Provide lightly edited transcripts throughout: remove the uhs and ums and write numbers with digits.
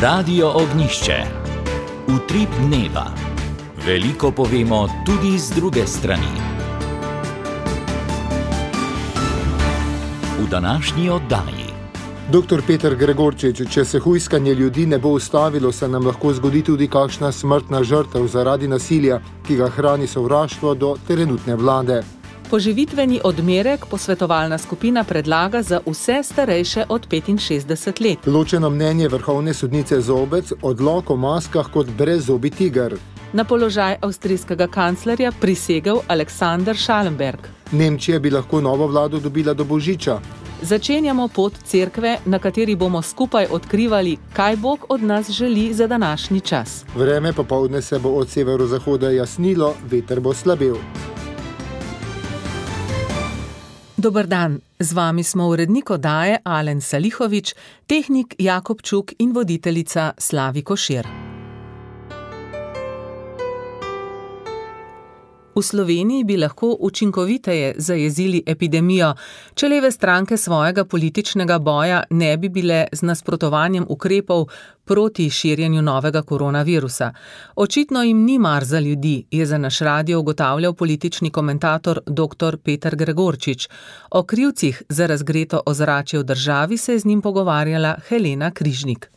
Radio Ognjišče. Utrip dneva. Veliko povemo tudi z druge strani. V današnji oddaji. Dr. Peter Gregorčič, če se hujskanje ljudi ne bo ustavilo, se nam lahko zgodi tudi kakšna smrtna žrtev zaradi nasilja, ki ga hrani sovraštvo do trenutne vlade. Poživitveni odmerek posvetovalna skupina predlaga za vse starejše od 65 let. Ločeno mnenje vrhovne sodnice Zobec, odlok o maskah kot brezzobi tiger. Na položaj avstrijskega kanclerja prisegel Alexander Schallenberg. Nemčija bi lahko novo vlado dobila do božiča. Začenjamo pot cerkve, na kateri bomo skupaj odkrivali, kaj Bog od nas želi za današnji čas. Vreme popoldne se bo od severozahoda jasnilo, veter bo slabel. Dober dan, z vami smo urednik oddaje Alen Salihovič, tehnik Jakob Čuk in voditeljica Slavi Košir. V Sloveniji bi lahko učinkoviteje zajezili epidemijo, če leve stranke svojega političnega boja ne bi bile z nasprotovanjem ukrepov proti širjenju novega koronavirusa. Očitno jim ni mar za ljudi, je za naš radio ugotavljal politični komentator dr. Peter Gregorčič. O krivcih za razgreto ozračje v državi se je z njim pogovarjala Helena Križnik.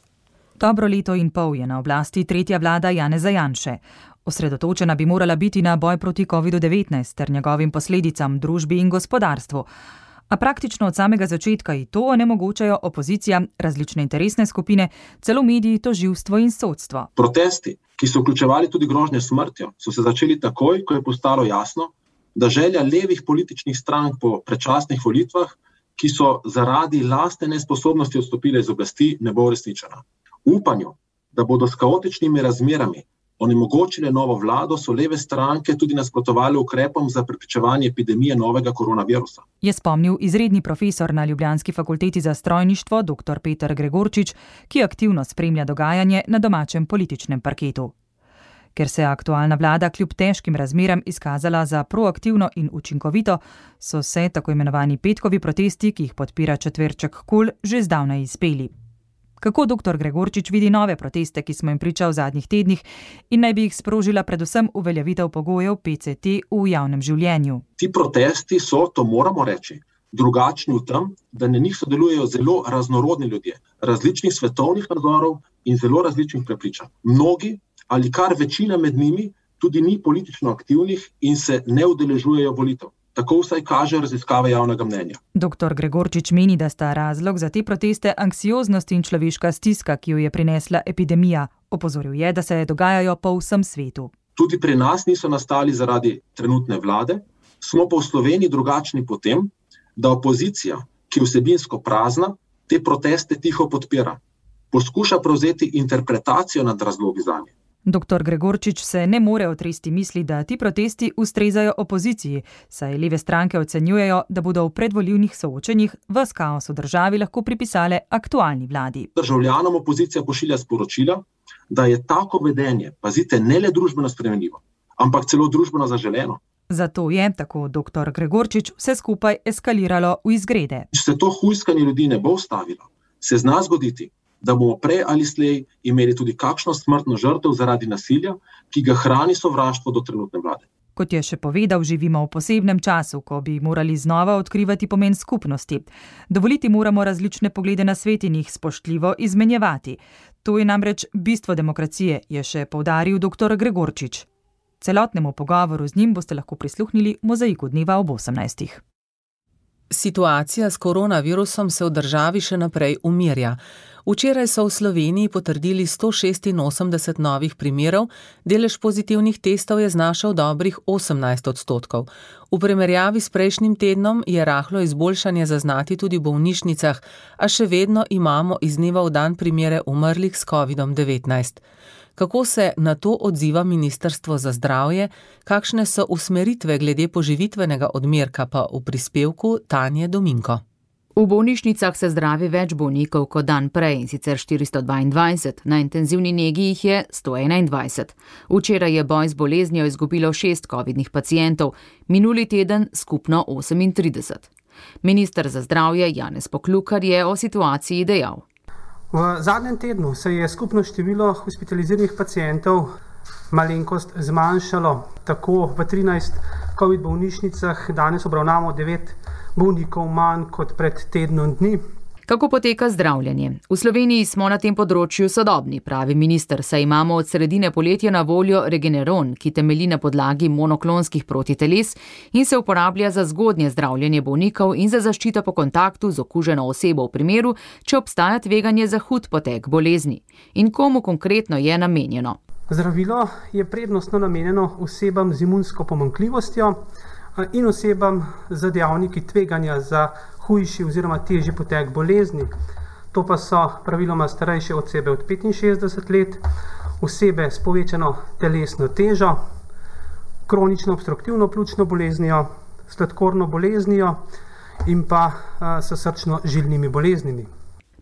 Dobro leto in pol je na oblasti tretja vlada Janeza Janše. Osredotočena bi morala biti na boj proti COVID-19 ter njegovim posledicam družbi in gospodarstvu. A praktično od samega začetka i to onemogočajo opozicija, različne interesne skupine, celo mediji, tožilstvo in sodstvo. Protesti, ki so vključevali tudi grožnje smrtjo, so se začeli takoj, ko je postalo jasno, da želja levih političnih strank po predčasnih volitvah, ki so zaradi lastne nesposobnosti odstopile iz oblasti, ne bo uresničena. Upanju, da bodo s kaotičnimi razmerami onemogočile novo vlado, so leve stranke tudi nasprotovali ukrepom za preprečevanje epidemije novega koronavirusa. Je spomnil izredni profesor na Ljubljanski fakulteti za strojništvo dr. Peter Gregorčič, ki aktivno spremlja dogajanje na domačem političnem parketu. Ker se je aktualna vlada kljub težkim razmeram izkazala za proaktivno in učinkovito, so se tako imenovani petkovi protesti, ki jih podpira četverček KUL, že zdavnaj izpeli. Kako dr. Gregorčič vidi nove proteste, ki smo jim priča v zadnjih tednih in naj bi jih sprožila predvsem uveljavitev pogojev PCT v javnem življenju? Ti protesti so, to moramo reči, drugačni v tem, da na njih sodelujejo zelo raznorodni ljudje, različnih svetovnih nazorov in zelo različnih prepričanj. Mnogi ali kar večina med njimi tudi ni politično aktivnih in se ne udeležujejo volitev. Tako vsaj kaže raziskave javnega mnenja. Dr. Gregorčič meni, da sta razlog za te proteste anksioznost in človeška stiska, ki jo je prinesla epidemija. Opozoril je, da se dogajajo po vsem svetu. Tudi pri nas niso nastali zaradi trenutne vlade, smo pa v Sloveniji drugačni po tem, da opozicija, ki je vsebinsko prazna, te proteste tiho podpira. Poskuša prevzeti interpretacijo nad razlogi zanje. Dr. Gregorčič se ne more otresti misli, da ti protesti ustrezajo opoziciji, saj leve stranke ocenjujejo, da bodo v predvolilnih soočenjih ves kaos v državi lahko pripisale aktualni vladi. Državljanom opozicija pošilja sporočila, da je tako vedenje, pazite, ne le družbeno spremenljivo, ampak celo družbeno zaželeno. Zato je, tako dr. Gregorčič, vse skupaj eskaliralo v izgrede. Če se to hujskanje ljudi ne bo ustavilo, se zna zgoditi, da bomo prej ali slej imeli tudi kakšno smrtno žrtev zaradi nasilja, ki ga hrani sovraštvo do trenutne vlade. Kot je še povedal, živimo v posebnem času, ko bi morali znova odkrivati pomen skupnosti. Dovoliti moramo različne poglede na svet in jih spoštljivo izmenjevati. To je namreč bistvo demokracije, je še poudaril dr. Gregorčič. Celotnemu pogovoru z njim boste lahko prisluhnili v Mozaiku dneva ob 18. Situacija s koronavirusom se v državi še naprej umirja. Včeraj so v Sloveniji potrdili 186 novih primerov, delež pozitivnih testov je znašal dobrih 18%. V primerjavi s prejšnjim tednom je rahlo izboljšanje zaznati tudi v bolnišnicah, a še vedno imamo iz dneva v dan primere umrlih s COVID-19. Kako se na to odziva Ministrstvo za zdravje, kakšne so usmeritve glede poživitvenega odmerka pa v prispevku Tanje Dominko. V bolnišnicah se zdravi več bolnikov kot dan prej, sicer 422, na intenzivni negi jih je 121. Včeraj je boj z boleznijo izgubilo 6 covidnih pacientov, minuli teden skupno 38. Minister za zdravje Janez Poklukar je o situaciji dejal. V zadnjem tednu se je skupno število hospitaliziranih pacientov malenkost zmanjšalo. Tako v 13 COVID bolnišnicah danes obravnavamo 9 bolnikov manj kot pred tednom dni. Kako poteka zdravljenje? V Sloveniji smo na tem področju sodobni, pravi minister, saj imamo od sredine poletja na voljo Regeneron, ki temelji na podlagi monoklonskih protiteles in se uporablja za zgodnje zdravljenje bolnikov in za zaščito po kontaktu z okuženo osebo v primeru, če obstaja tveganje za hud potek bolezni. In komu konkretno je namenjeno? Zdravilo je prednostno namenjeno osebam z imunsko pomanjkljivostjo in osebam z dejavniki tveganja za hujši oziroma težji potek bolezni. To pa so praviloma starejše osebe od 65 let, osebe s povečano telesno težo, kronično obstruktivno pljučno boleznijo, sladkorno boleznijo in pa s srčno-žilnimi boleznimi.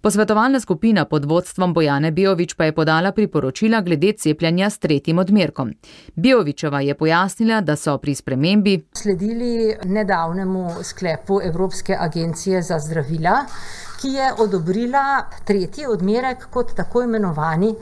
Posvetovalna skupina pod vodstvom Bojane Beović pa je podala priporočila glede cepljenja s 3. odmerkom. Beovićeva je pojasnila, da so pri spremembi sledili nedavnemu sklepu Evropske agencije za zdravila, ki je odobrila 3. odmerek kot tako imenovani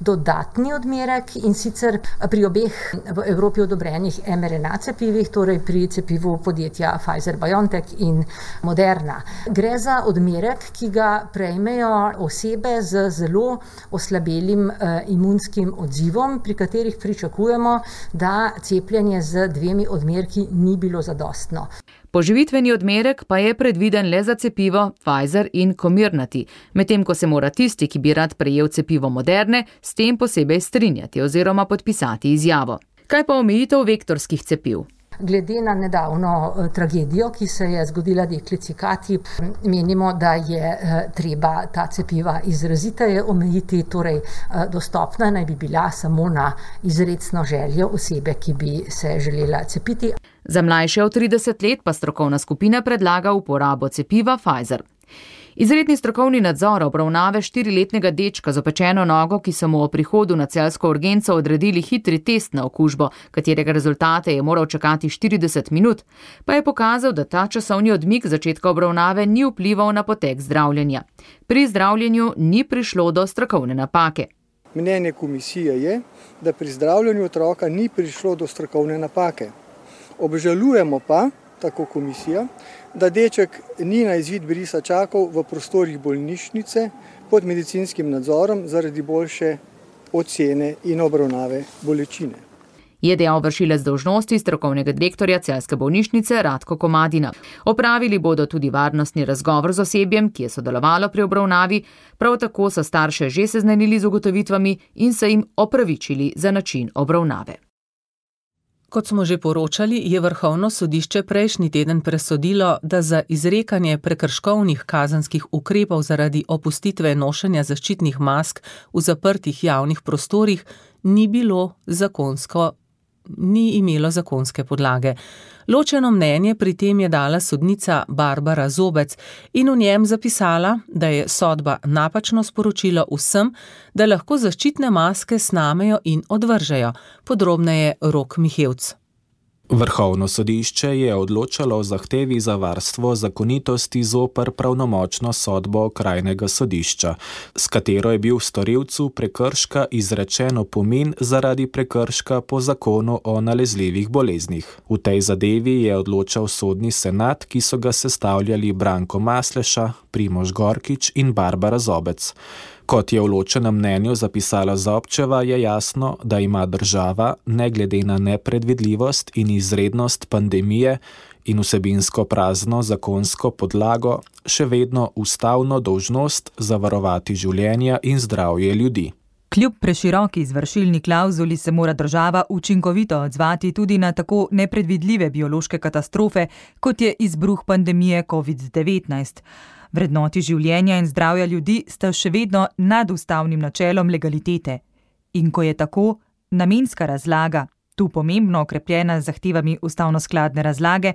dodatni odmerek in sicer pri obeh v Evropi odobrenih mRNA cepivih, torej pri cepivu podjetja Pfizer-BioNTech in Moderna. Gre za odmerek, ki ga prejmejo osebe z zelo oslabelim imunskim odzivom, pri katerih pričakujemo, da cepljenje z 2 odmerki ni bilo zadostno. Poživitveni odmerek pa je predviden le za cepivo Pfizer in Comirnaty, medtem ko se mora tisti, ki bi rad prejel cepivo Moderne, s tem posebej strinjati oziroma podpisati izjavo. Kaj pa omejitev vektorskih cepiv? Glede na nedavno tragedijo, ki se je zgodila deklici Kati, menimo, da je treba ta cepiva izraziteje omejiti, torej dostopna naj bi bila samo na izrecno željo osebe, ki bi se želela cepiti. Za mlajše od 30 let pa strokovna skupina predlaga uporabo cepiva Pfizer. Izredni strokovni nadzor obravnave 4-letnega dečka z opečeno nogo, ki so mu o prihodu na celjsko urgenco odredili hitri test na okužbo, katerega rezultate je moral čakati 40 minut, pa je pokazal, da ta časovni odmik začetka obravnave ni vplival na potek zdravljenja. Pri zdravljenju ni prišlo do strokovne napake. Mnenje komisije je, da pri zdravljenju otroka ni prišlo do strokovne napake. Obžalujemo pa, tako komisija, da deček ni na izvid brisa čakal v prostorih bolnišnice pod medicinskim nadzorom zaradi boljše ocene in obravnave bolečine. Je dejal vršilec dolžnosti strokovnega direktorja celjske bolnišnice Ratko Komadina. Opravili bodo tudi varnostni razgovor z osebjem, ki je sodelovalo pri obravnavi, prav tako so starše že seznanili z ugotovitvami in se jim opravičili za način obravnave. Kot smo že poročali, je Vrhovno sodišče prejšnji teden presodilo, da za izrekanje prekrškovnih kazenskih ukrepov zaradi opustitve nošenja zaščitnih mask v zaprtih javnih prostorih ni imelo zakonske podlage. Ločeno mnenje pri tem je dala sodnica Barbara Zobec in v njem zapisala, da je sodba napačno sporočilo vsem, da lahko zaščitne maske snamejo in odvržejo. Podrobneje Rok Mihevc. Vrhovno sodišče je odločalo o zahtevi za varstvo zakonitosti zoper pravnomočno sodbo okrajnega sodišča, s katero je bil storilcu prekrška izrečen opomin zaradi prekrška po zakonu o nalezljivih boleznih. V tej zadevi je odločal sodni senat, ki so ga sestavljali Branko Masleša, Primož Gorkič in Barbara Zobec. Kot je v ločenem mnenju zapisala Zobčeva, je jasno, da ima država, ne glede na nepredvidljivost in izrednost pandemije in vsebinsko prazno zakonsko podlago, še vedno ustavno dolžnost zavarovati življenja in zdravje ljudi. Kljub preširoki izvršilni klavzuli se mora država učinkovito odzvati tudi na tako nepredvidljive biološke katastrofe, kot je izbruh pandemije COVID-19. Vrednoti življenja in zdravja ljudi sta še vedno nad ustavnim načelom legalitete. In ko je tako, namenska razlaga, tu pomembno okrepljena z zahtevami ustavnoskladne razlage,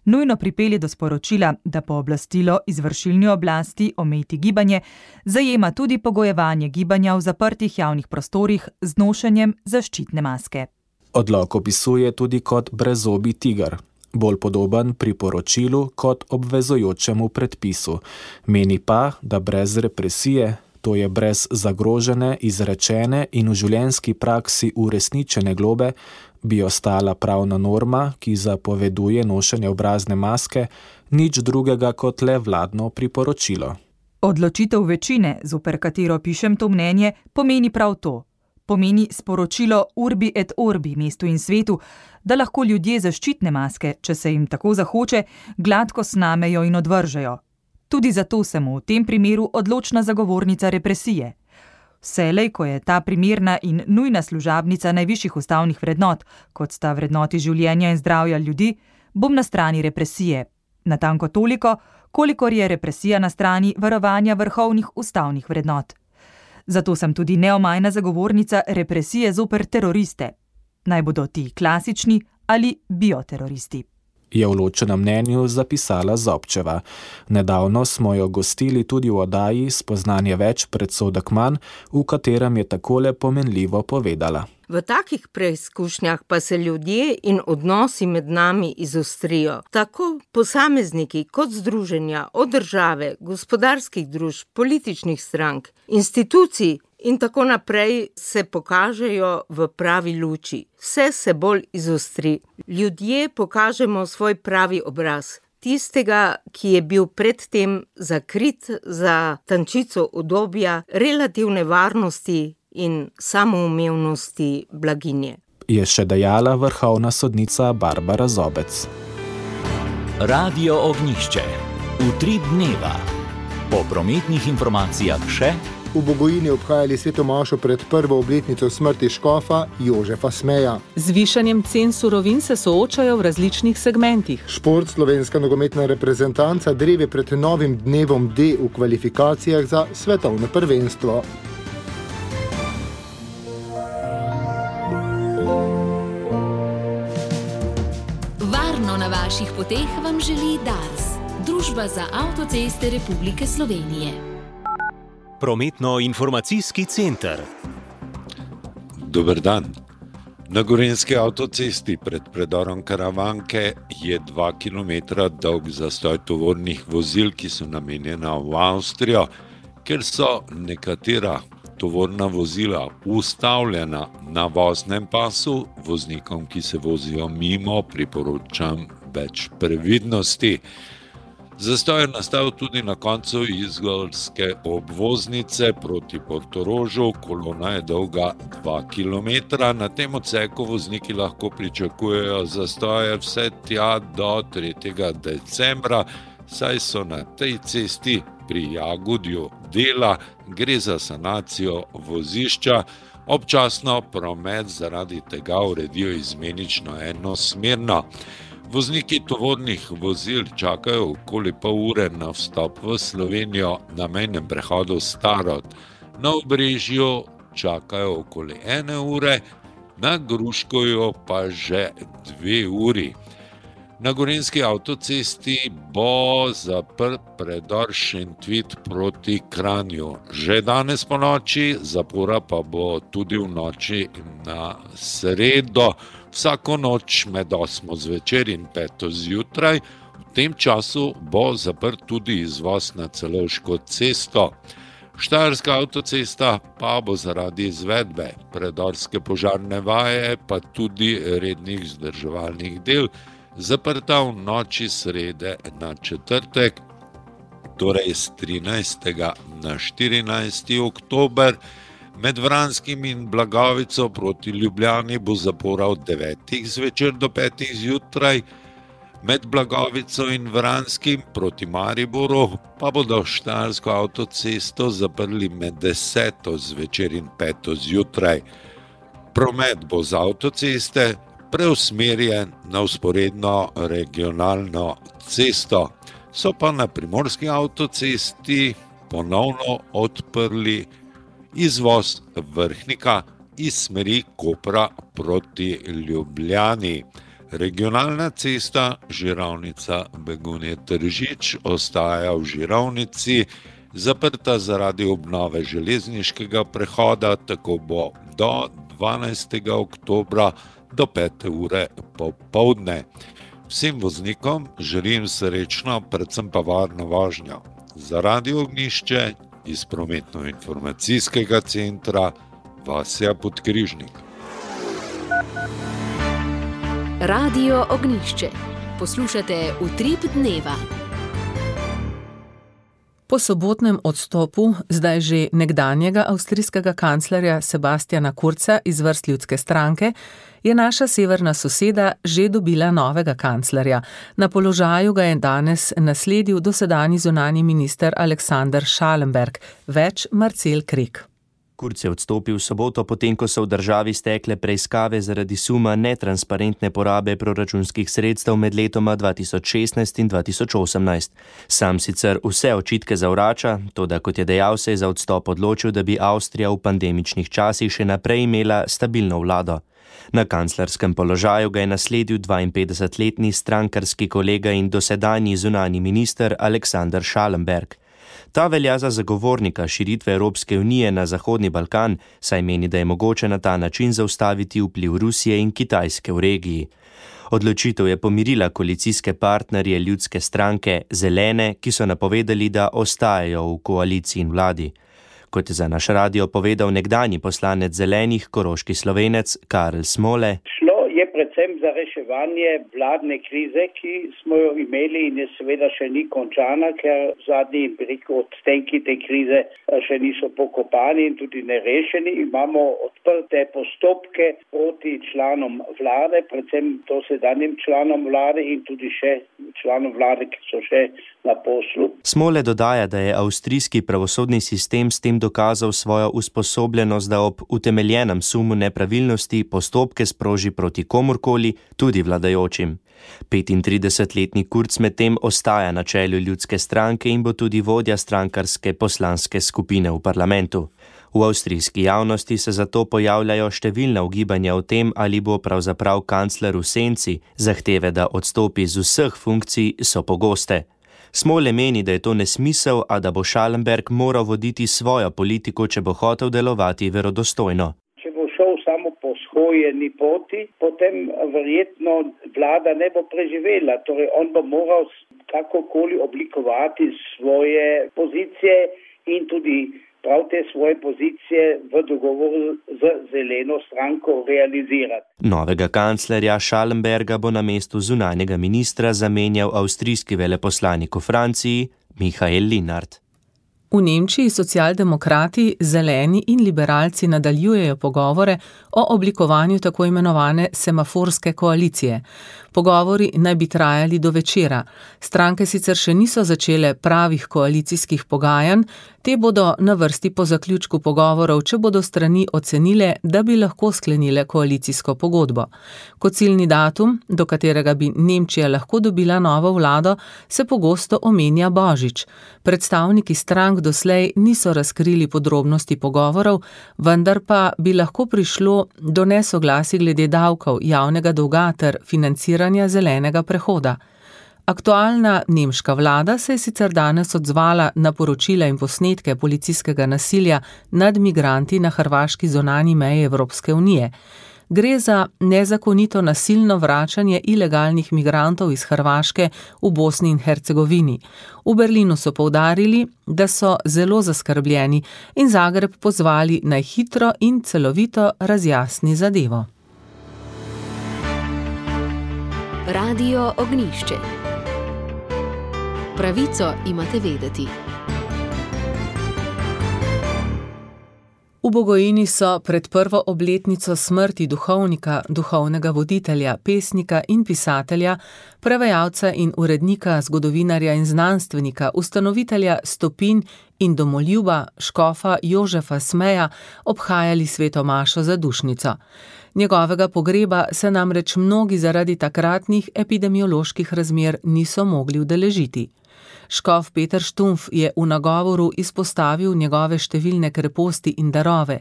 nujno pripelje do sporočila, da pooblastilo izvršilni oblasti omejiti gibanje zajema tudi pogojevanje gibanja v zaprtih javnih prostorih z nošenjem zaščitne maske. Odlok opisuje tudi kot brezzobi tiger, bolj podoben priporočilu kot obvezujočemu predpisu. Meni pa, da brez represije, to je brez zagrožene, izrečene in v življenjski praksi uresničene globe, bi ostala pravna norma, ki zapoveduje nošenje obrazne maske, nič drugega kot le vladno priporočilo. Odločitev večine, zoper katero pišem to mnenje, pomeni prav to. Pomeni sporočilo urbi et orbi mestu in svetu, da lahko ljudje zaščitne maske, če se jim tako zahoče, gladko snamejo in odvržejo. Tudi zato sem v tem primeru odločna zagovornica represije. Vselej, ko je ta primerna in nujna služabnica najvišjih ustavnih vrednot, kot sta vrednoti življenja in zdravja ljudi, bom na strani represije. Natanko toliko, kolikor je represija na strani varovanja vrhovnih ustavnih vrednot. Zato sem tudi neomajna zagovornica represije zoper teroriste. Naj bodo ti klasični ali bioteroristi. Je v ločenem mnenju zapisala Zobčeva. Nedavno smo jo gostili tudi v oddaji Spoznanje več, predsodek manj, v katerem je takole pomenljivo povedala. V takih preizkušnjah pa se ljudje in odnosi med nami izostrijo. Tako posamezniki kot združenja od države, gospodarskih družb, političnih strank, institucij in tako naprej se pokažejo v pravi luči. Vse se bolj izostri. Ljudje pokažemo svoj pravi obraz. Tistega, ki je bil predtem zakrit za tančico udobja, relativne varnosti in samoumevnosti blaginje. Je še dejala vrhovna sodnica Barbara Zobec. Radio Ognjišče. Utrip dneva. Po prometnih informacijah še. V Bogojini obhajali svetomašo pred prvo obletnico smrti škofa Jožefa Smeja. Z višanjem cen surovin se soočajo v različnih segmentih. Šport, slovenska nogometna reprezentanca dreve pred novim dnevom D v kvalifikacijah za svetovno prvenstvo. Varno na vaših poteh vam želi Dars, Družba za avtoceste Republike Slovenije. Prometno-informacijski center. Dober dan. Na Gorenjski avtocesti pred predorom Karavanke je 2 km dolg zastoj tovornih vozil, ki so namenjena v Avstrijo, ker so nekatera tovorna vozila ustavljena na voznem pasu. Voznikom, ki se vozijo mimo, priporočam več previdnosti. Zastoj je nastal tudi na koncu izolske obvoznice proti Portorožu. Kolona je dolga 2 km. Na tem odseku vozniki lahko pričakujejo zastoje vse tja do 3. decembra, saj so na tej cesti pri Jagodju dela, gre za sanacijo vozišča. Občasno promet zaradi tega uredijo izmenično enosmerno. Vozniki tovornih vozil čakajo okoli pol ure na vstop v Slovenijo na mejnem prehodu Starod. Na Obrežju čakajo okoli 1 ure, na Gruškovju pa že 2 uri. Na Gorenjski avtocesti bo zaprt predor Šentvid proti Kranju. Že danes po noči, zapora pa bo tudi v noči na sredo. Vsako noč med 8 zvečer in 5 zjutraj. V tem času bo zaprt tudi izvoz na Celovško cesto. Štajerska avtocesta pa bo zaradi izvedbe predorske požarne vaje pa tudi rednih vzdrževalnih del zaprta v noči srede na četrtek, torej z 13. na 14. oktober. Med Vranskim in Blagovico proti Ljubljani bo zapora od 9. zvečer do 5. zjutraj, med Blagovico in Vranskim proti Mariboru pa bodo Štajersko avtocesto zaprli med 10. zvečer in 5. zjutraj. Promet bo z avtoceste preusmerjen na vzporedno regionalno cesto. So pa na Primorski avtocesti ponovno odprli izvoz Vrhnika iz smeri Kopra proti Ljubljani. Regionalna cesta Žirovnica Begunje-Tržič ostaja v Žirovnici, zaprta zaradi obnove železniškega prehoda, tako bo do 12. oktobra do 5. ure popoldne. Vsem voznikom želim srečno, predvsem pa varno vožnjo. Za Radio Ognjišče iz prometno-informacijskega centra Vasja Podkrižnik. Radio Ognjišče. Poslušate Utrip dneva. Po sobotnem odstopu zdaj že nekdanjega avstrijskega kanclerja Sebastiana Kurza iz vrst Ljudske stranke je naša severna soseda že dobila novega kanclerja. Na položaju ga je danes nasledil dosedanji zunanji minister Alexander Schallenberg, več Marcel Krek. Kurz je odstopil v soboto, potem ko so v državi stekle preiskave zaradi suma netransparentne porabe proračunskih sredstev med letoma 2016 in 2018. Sam sicer vse očitke zavrača, toda kot je dejal, se je za odstop odločil, da bi Avstrija v pandemičnih časih še naprej imela stabilno vlado. Na kanclerskem položaju ga je nasledil 52-letni strankarski kolega in dosedanji zunanji minister Alexander Schallenberg. Ta velja za zagovornika širitve Evropske unije na Zahodni Balkan, saj meni, da je mogoče na ta način zaustaviti vpliv Rusije in Kitajske v regiji. Odločitev je pomirila koalicijske partnerje Ljudske stranke Zelene, ki so napovedali, da ostajajo v koaliciji in vladi. Kot je za naš radio povedal nekdanji poslanec Zelenih, koroški Slovenec Karel Smole. Je predvsem za reševanje vladne krize, ki smo jo imeli in je seveda še ni končana, ker zadnji odstenki te krize še niso pokopani in tudi nerešeni. Imamo odprte postopke proti članom vlade, predvsem dosedanjim članom vlade in tudi še članom vlade, ki so še na poslu. Smole dodaja, da je avstrijski pravosodni sistem s tem dokazal svojo usposobljenost, da ob utemeljenem sumu nepravilnosti postopke sproži proti komurkoli, tudi vladajočim. 35-letni Kurz medtem ostaja na čelu Ljudske stranke in bo tudi vodja strankarske poslanske skupine v parlamentu. V avstrijski javnosti se zato pojavljajo številna ugibanja o tem, ali bo pravzaprav kancler v senci. Zahteve, da odstopi z vseh funkcij, so pogoste. Smole meni, da je to nesmisel, a da bo Schallenberg moral voditi svojo politiko, če bo hotel delovati verodostojno. Če bo šel samo po shojeni poti, potem verjetno vlada ne bo preživela. Torej on bo moral kakokoli oblikovati svoje pozicije in tudi prav te svoje pozicije v dogovoru z Zeleno stranko realizirati. Novega kanclerja Schallenberga bo na mestu zunanjega ministra zamenjal avstrijski veleposlanik v Franciji Michael Linhart. V Nemčiji socialdemokrati, zeleni in liberalci nadaljujejo pogovore o oblikovanju tako imenovane semaforske koalicije. Pogovori naj bi trajali do večera. Stranke sicer še niso začele pravih koalicijskih pogajanj, te bodo na vrsti po zaključku pogovorov, če bodo strani ocenile, da bi lahko sklenile koalicijsko pogodbo. Kot ciljni datum, do katerega bi Nemčija lahko dobila novo vlado, se pogosto omenja božič. Predstavniki strank doslej niso razkrili podrobnosti pogovorov, vendar pa bi lahko prišlo do nesoglasij glede davkov, javnega dolga ter financiranja zelenega prehoda. Aktualna nemška vlada se je sicer danes odzvala na poročila in posnetke policijskega nasilja nad migranti na hrvaški zunanji meji Evropske unije. Gre za nezakonito nasilno vračanje ilegalnih migrantov iz Hrvaške v Bosni in Hercegovini. V Berlinu so poudarili, da so zelo zaskrbljeni in Zagreb pozvali naj hitro in celovito razjasni zadevo. Radio Ognjišče. Pravico imate vedeti. V Bogojini so pred prvo obletnico smrti duhovnika, duhovnega voditelja, pesnika in pisatelja, prevajalca in urednika, zgodovinarja in znanstvenika, ustanovitelja Stopinj in domoljuba škofa Jožefa Smeja obhajali sveto mašo za dušnico. Njegovega pogreba se namreč mnogi zaradi takratnih epidemioloških razmer niso mogli udeležiti. Škof Peter Štumpf je v nagovoru izpostavil njegove številne kreposti in darove,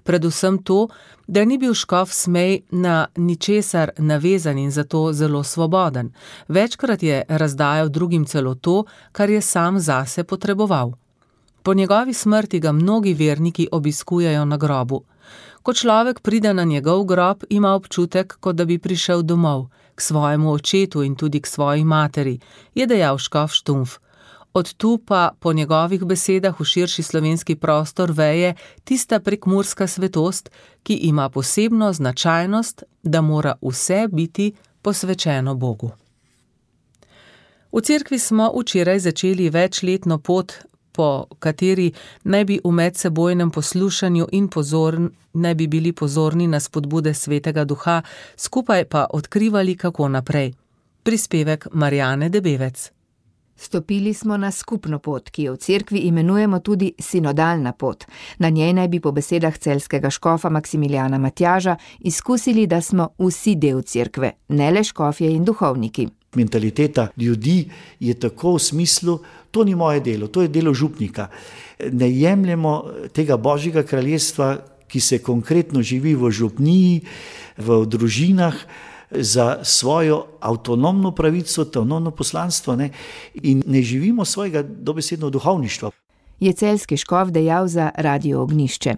predvsem to, da ni bil škof Smej na ničesar navezan in zato zelo svoboden. Večkrat je razdajal drugim celo to, kar je sam zase potreboval. Po njegovi smrti ga mnogi verniki obiskujejo na grobu. Ko človek pride na njegov grob, ima občutek, kot da bi prišel domov, k svojemu očetu in tudi k svoji materi, je dejal škof Štumpf. Od tu pa po njegovih besedah v širši slovenski prostor veje tista prekmurska svetost, ki ima posebno značajnost, da mora vse biti posvečeno Bogu. V cerkvi smo včeraj začeli večletno pot, po kateri naj bi v medsebojnem poslušanju in naj bi bili pozorni na spodbude Svetega Duha, skupaj pa odkrivali, kako naprej. Prispevek Marjane Debevec. Stopili smo na skupno pot, ki jo v cerkvi imenujemo tudi sinodalna pot. Na njej naj bi po besedah celjskega škofa Maksimiljana Matjaža izkusili, da smo vsi del cerkve, ne le škofje in duhovniki. Mentaliteta ljudi je tako v smislu, to ni moje delo, to je delo župnika. Ne jemljemo tega Božjega kraljestva, ki se konkretno živi v župniji, v družinah, za svojo avtonomno pravico, avtonomno poslanstvo, in ne živimo svojega dobesedno duhovništva. Je celjski škof dejal za Radio Ognjišče.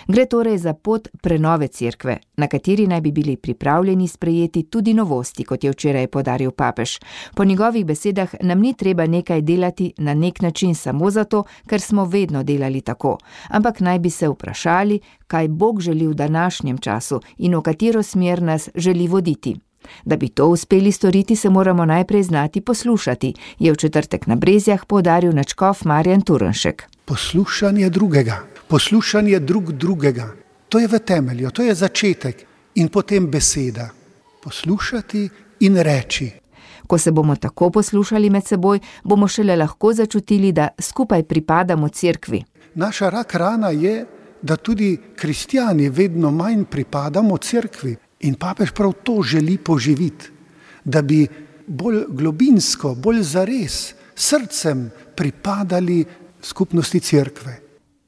Gre torej za pot prenove cerkve, na kateri naj bi bili pripravljeni sprejeti tudi novosti, kot je včeraj poudaril papež. Po njegovih besedah nam ni treba nekaj delati na nek način samo zato, ker smo vedno delali tako, ampak naj bi se vprašali, kaj Bog želi v današnjem času in v katero smer nas želi voditi. Da bi to uspeli storiti, se moramo najprej znati poslušati, je v četrtek na Brezjah poudaril nadškof Marjan Turnšek. Poslušanje drugega, poslušanje drugega, to je v temelju, to je začetek in potem beseda. Poslušati in reči. Ko se bomo tako poslušali med seboj, bomo šele lahko začutili, da skupaj pripadamo cerkvi. Naša rak rana je, da tudi kristjani vedno manj pripadamo cerkvi. In papež prav to želi poživiti, da bi bolj globinsko, bolj zares, srcem pripadali skupnosti cerkve.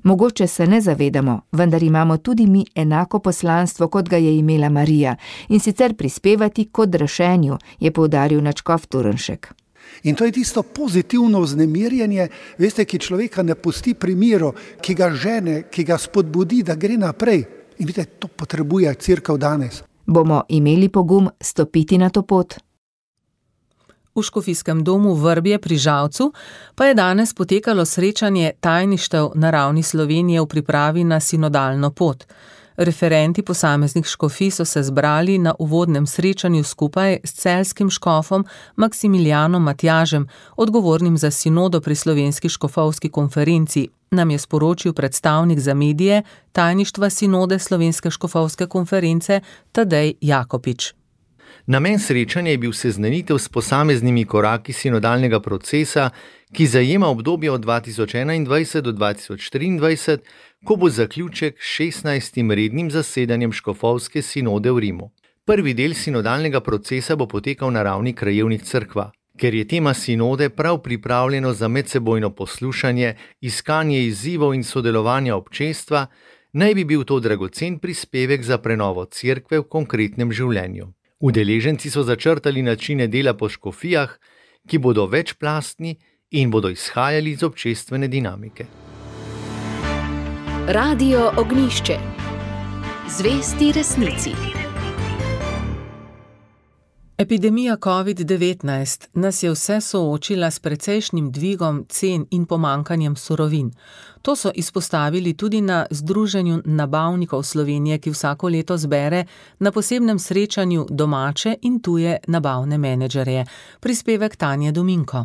Mogoče se ne zavedamo, vendar imamo tudi mi enako poslanstvo, kot ga je imela Marija, in sicer prispevati k odrešenju, je poudaril nadškof Turnšek. In to je tisto pozitivno vznemirjenje, veste, ki človeka ne pusti pri miru, ki ga žene, ki ga spodbudi, da gre naprej. In vidite, to potrebuje cerkev danes. Bomo imeli pogum stopiti na to pot? V škofijskem domu Vrbje pri Žalcu pa je danes potekalo srečanje tajništev na ravni Slovenije v pripravi na sinodalno pot. Referenti posameznih škofij so se zbrali na uvodnem srečanju skupaj s celjskim škofom Maksimilijanom Matjažem, odgovornim za sinodo pri Slovenski škofovski konferenci, nam je sporočil predstavnik za medije tajništva sinode Slovenske škofovske konference Tadej Jakopič. Namen srečanja je bil seznanitev s posameznimi koraki sinodalnega procesa, ki zajema obdobje od 2021 do 2023, ko bo zaključek 16. rednim zasedanjem škofovske sinode v Rimu. Prvi del sinodalnega procesa bo potekal na ravni krajevnih cerkva. Ker je tema sinode prav pripravljeno za medsebojno poslušanje, iskanje izzivov in sodelovanja občestva, naj bi bil to dragocen prispevek za prenovo cerkve v konkretnem življenju. Udeleženci so začrtali načine dela po škofijah, ki bodo večplastni in bodo izhajali iz občestvene dinamike. Radio Ognjišče. Zvesti resnici. Epidemija COVID-19 nas je vse soočila s precejšnjim dvigom cen in pomankanjem surovin. To so izpostavili tudi na Združenju nabavnikov Slovenije, ki vsako leto zbere na posebnem srečanju domače in tuje nabavne menedžerje. Prispevek Tanje Dominko.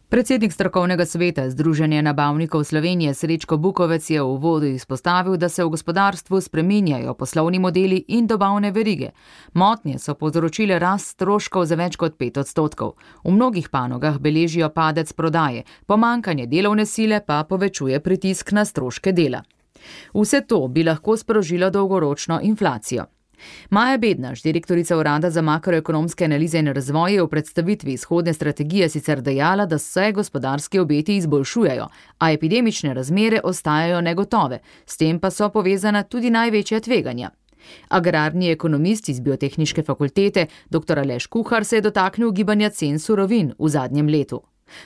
Predsednik strokovnega sveta Združenja nabavnikov Slovenije Srečko Bukovec je v uvodu izpostavil, da se v gospodarstvu spreminjajo poslovni modeli in dobavne verige. Motnje so povzročile rast stroškov za več kot 5%. V mnogih panogah beležijo padec prodaje, pomanjkanje delovne sile pa povečuje pritisk na stroške dela. Vse to bi lahko sprožilo dolgoročno inflacijo. Maja Bednaš, direktorica Urada za makroekonomske analize in razvoj, je v predstavitvi izhodne strategije sicer dejala, da se gospodarski obeti izboljšujejo, a epidemične razmere ostajajo negotove, s tem pa so povezana tudi največja tveganja. Agrarni ekonomist iz Biotehniške fakultete, dr. Aleš Kuhar, se je dotaknil gibanja cen surovin v zadnjem letu.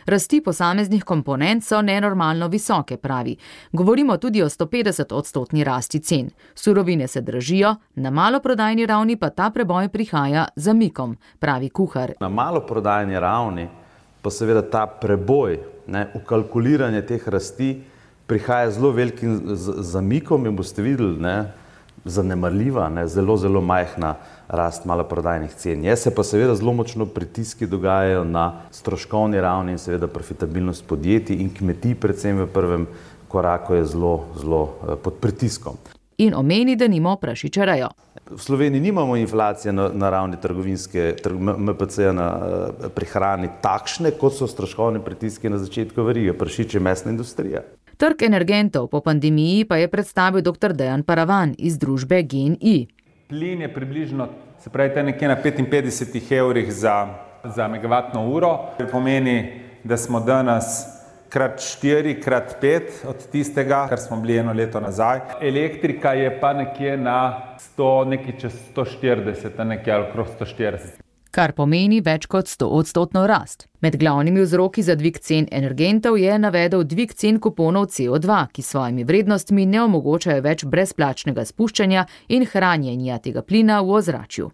Rasti posameznih komponent so nenormalno visoke, pravi. Govorimo tudi o 150% rasti cen. Surovine se dražijo, na maloprodajni ravni pa ta preboj prihaja z zamikom, pravi Kuhar. Na maloprodajni ravni pa seveda ta preboj, v kalkuliranje teh rasti prihaja zelo velikim zamikom in boste videli, zanemarljiva, zelo, zelo majhna rast maloprodajnih cen. Se pa seveda zelo močno pritiski dogajajo na stroškovni ravni in seveda profitabilnost podjetij in kmetij, predvsem v prvem koraku je zelo, zelo pod pritiskom. In omeni, da nimo prašičarajo. V Sloveniji nimamo inflacije na ravni MPC-ja na prihrani takšne, kot so stroškovne pritiske na začetku verige, prašič je mesna industrija. Trg energentov po pandemiji pa je predstavil dr. Dejan Paravan iz družbe GEN-I. Plin je približno, se pravi, nekje na 55 evrih za megavatno uro. To pomeni, da smo danes krat 4, krat 5 od tistega, kar smo bili eno leto nazaj. Elektrika je pa nekje na 100, nekaj čez 140, nekje ali okrog 140. Kar pomeni več kot 100% rast. Med glavnimi vzroki za dvig cen energentov je navedel dvig cen kuponov CO2, ki s svojimi vrednostmi ne omogočajo več brezplačnega spuščanja in hranjenja tega plina v ozračju.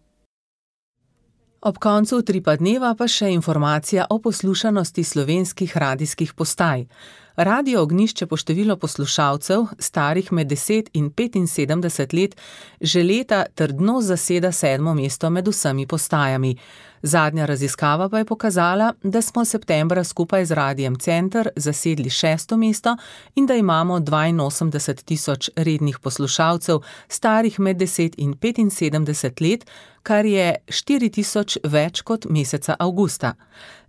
Ob koncu Utripa dneva pa še informacija o poslušanosti slovenskih radijskih postaj. Radio Ognišče po število poslušalcev, starih med 10 in 75 let, že leta trdno zaseda 7. mesto med vsemi postajami. Zadnja raziskava pa je pokazala, da smo septembra skupaj z Radijem Center zasedli 6. mesto in da imamo 82 000 rednih poslušalcev, starih med 10 in 75 let, kar je 4 000 več kot meseca avgusta.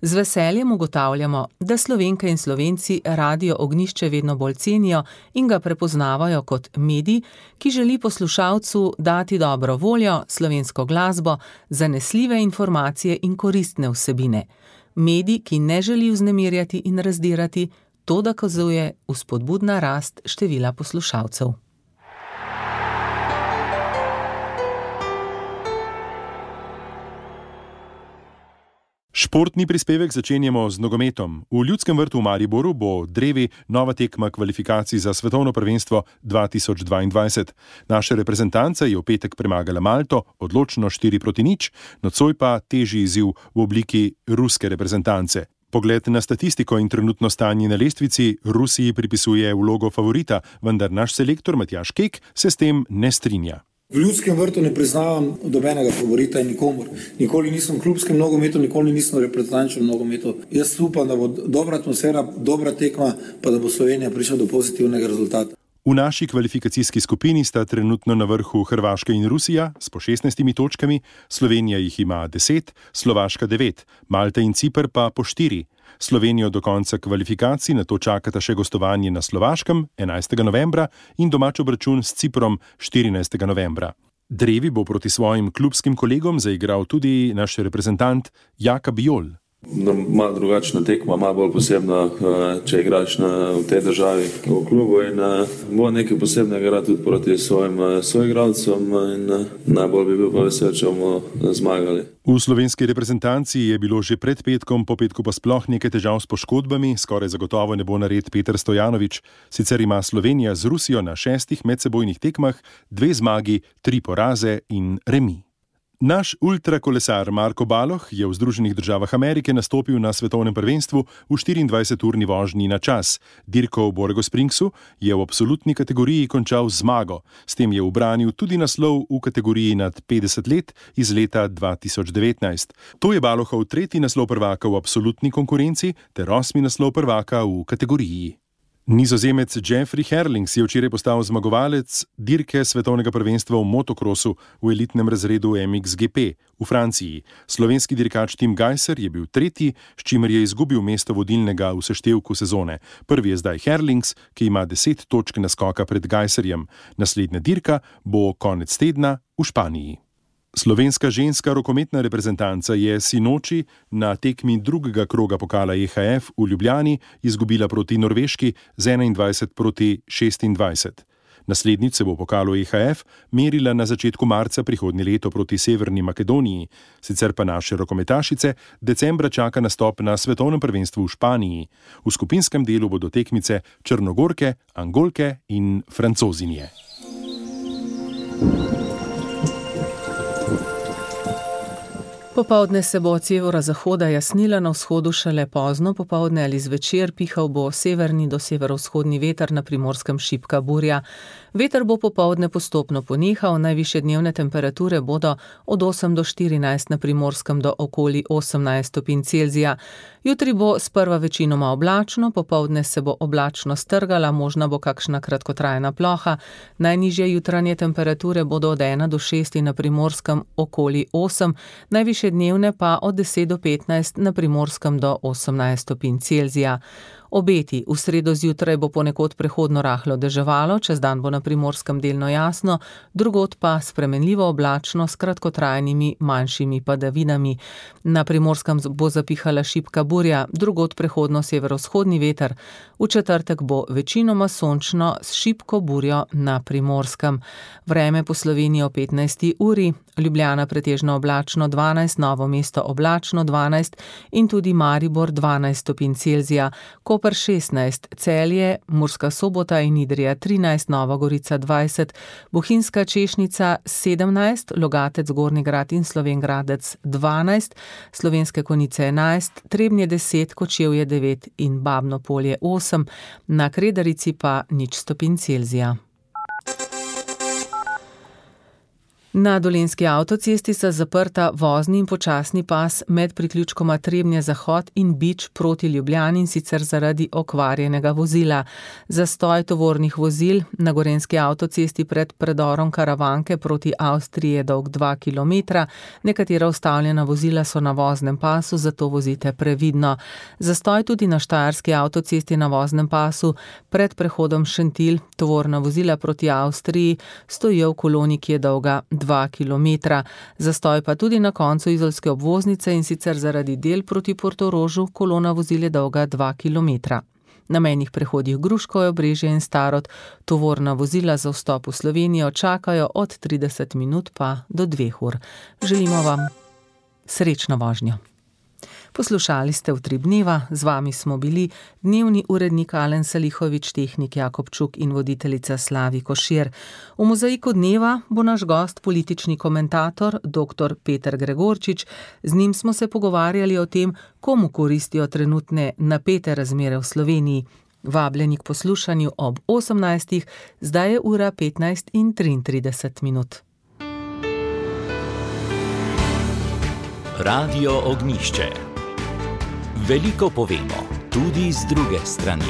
Z veseljem ugotavljamo, da Slovenke in Slovenci Radio Ognišče vedno bolj cenijo in ga prepoznavajo kot medij, ki želi poslušalcu dati dobro voljo, slovensko glasbo, zanesljive informacije in koristne vsebine. Medij, ki ne želi vznemirjati in razdirati, to dokazuje vzpodbudna rast števila poslušalcev. Športni prispevek začenjamo z nogometom. V Ljudskem vrtu v Mariboru bo drevi nova tekma kvalifikacij za svetovno prvenstvo 2022. Naša reprezentanca je v petek premagala Malto, odločno 4-0, nocoj pa težji izziv v obliki ruske reprezentance. Pogled na statistiko in trenutno stanje na lestvici Rusiji pripisuje vlogo favorita, vendar naš selektor Matjaž Kek se s tem ne strinja. V Ljudskem vrtu ne priznavam dobenega favorita in nikomor. Nikoli nisem v klubskem nogometu, nikoli nisem v reprezentančnem nogometu. Jaz upam, da bo dobra atmosfera, dobra tekma, pa da bo Slovenija prišla do pozitivnega rezultata. V naši kvalifikacijski skupini sta trenutno na vrhu Hrvaška in Rusija s po 16 točkami, Slovenija jih ima 10, Slovaška 9, Malta in Ciper pa po 4. Slovenijo do konca kvalifikacij nato čakata še gostovanje na Slovaškem 11. novembra in domač obračun s Ciprom 14. novembra. Drevi bo proti svojim klubskim kolegom zaigral tudi naš reprezentant Jaka Bijol. Malo drugačna tekma, malo bolj posebna, če igraš v tej državi v klubu in bo nekaj posebnega igrati tudi proti svojim soigralcem in najbolj bi bil pa vesel, če bomo zmagali. V slovenski reprezentanci je bilo že pred petkom, po petku pa sploh nekaj težav s poškodbami, skoraj zagotovo ne bo nared Peter Stojanović. Sicer ima Slovenija z Rusijo na 6 medsebojnih tekmah 2 zmagi, 3 poraze in remi. Naš ultrakolesar Marko Baloh je v Združenih državah Amerike nastopil na svetovnem prvenstvu v 24-urni vožnji na čas. Dirko v Borgo Springsu je v absolutni kategoriji končal zmago. S tem je ubranil tudi naslov v kategoriji nad 50 let iz leta 2019. To je Balohov 3. naslov prvaka v absolutni konkurenci ter 8. naslov prvaka v kategoriji. Nizozemec Jeffrey Herlings je včeraj postal zmagovalec dirke svetovnega prvenstva v motokrosu v elitnem razredu MXGP v Franciji. Slovenski dirkač Tim Gajser je bil 3., s čimer je izgubil mesto vodilnega v seštevku sezone. Prvi je zdaj Herlings, ki ima 10 točk naskoka pred Gajserjem. Naslednja dirka bo konec tedna v Španiji. Slovenska ženska rokometna reprezentanca je sinoči na tekmi drugega kroga pokala EHF v Ljubljani izgubila proti Norveški z 21-26. Naslednjič se bo v pokalu EHF merila na začetku marca prihodnje leto proti Severni Makedoniji. Sicer pa naše rokometašice decembra čaka nastop na svetovnem prvenstvu v Španiji. V skupinskem delu bodo tekmice Črnogorke, Angolke in Francozinje. Po Popoldne se bo od severozahoda jasnila, na vzhodu šele pozno popoldne ali zvečer, pihal bo severni do severovzhodni veter, na Primorskem šibka burja. Veter bo popoldne postopno ponehal, najvišje dnevne temperature bodo od 8 do 14, na Primorskem do okoli 18 stopinj Celzija. Jutri bo sprva večinoma oblačno, popoldne se bo oblačno strgala, možna bo kakšna kratkotrajna ploha. Najnižje jutranje temperature bodo od 1 do 6, na Primorskem okoli 8, najvišje dnevne pa od 10 do 15, na Primorskem do 18 stopinj Celzija. Obeti: v sredo zjutraj bo ponekod prehodno rahlo deževalo, čez dan bo na Primorskem delno jasno, drugod pa spremenljivo oblačno s kratkotrajnimi manjšimi padavinami. Na Primorskem bo zapihala šibka burja, drugod prehodno severovzhodni veter. V četrtek bo večinoma sončno s šibko burjo na Primorskem. Vreme po Sloveniji o 15. uri: Ljubljana pretežno oblačno 12, Novo mesto oblačno 12 in tudi Maribor 12 stopinj Celzija, Koper 16, Celje, Murska Sobota in Idrija 13, Nova Gorica 20, Bohinjska Češnica 17, Logatec, Gornji Grad in Slovenj Gradec 12, Slovenske Konjice 11, Trebnje 10, Kočevje 9 in Babno Polje 8, na Kredarici pa 0 stopinj Celzija. Na Dolenjski avtocesti sta zaprta vozni in počasni pas med priključkoma Trebnje Zahod in Bič proti Ljubljani, in sicer zaradi okvarjenega vozila. Zastoj tovornih vozil na Gorenjski avtocesti pred predorom Karavanke proti Avstriji je dolg 2 km. Nekatera ustavljena vozila so na voznem pasu, zato vozite previdno. Zastoj tudi na Štajerski avtocesti na voznem pasu pred prehodom Šentilj. Tovorna vozila proti Avstriji stojijo v koloni, ki je dolga 2 km. Zastoj pa tudi na koncu izolske obvoznice, in sicer zaradi del proti Portorožu, kolona vozil je dolga 2 km. Na mejnih prehodih Gruškovje, Obrežje in Starod tovorna vozila za vstop v Slovenijo čakajo od 30 minut pa do 2 ur. Želimo vam srečno vožnjo. Poslušali ste Utrip dneva, z vami smo bili dnevni urednik Alen Salihovič, tehnik Jakob Čuk in voditeljica Slavi Košir. V mozaiku dneva bo naš gost politični komentator dr. Peter Gregorčič. Z njim smo se pogovarjali o tem, komu koristijo trenutne napete razmere v Sloveniji. Vabljeni k poslušanju ob 18. Zdaj je ura 15:33. Radio Ognjišče. Veliko povemo, tudi z druge strani.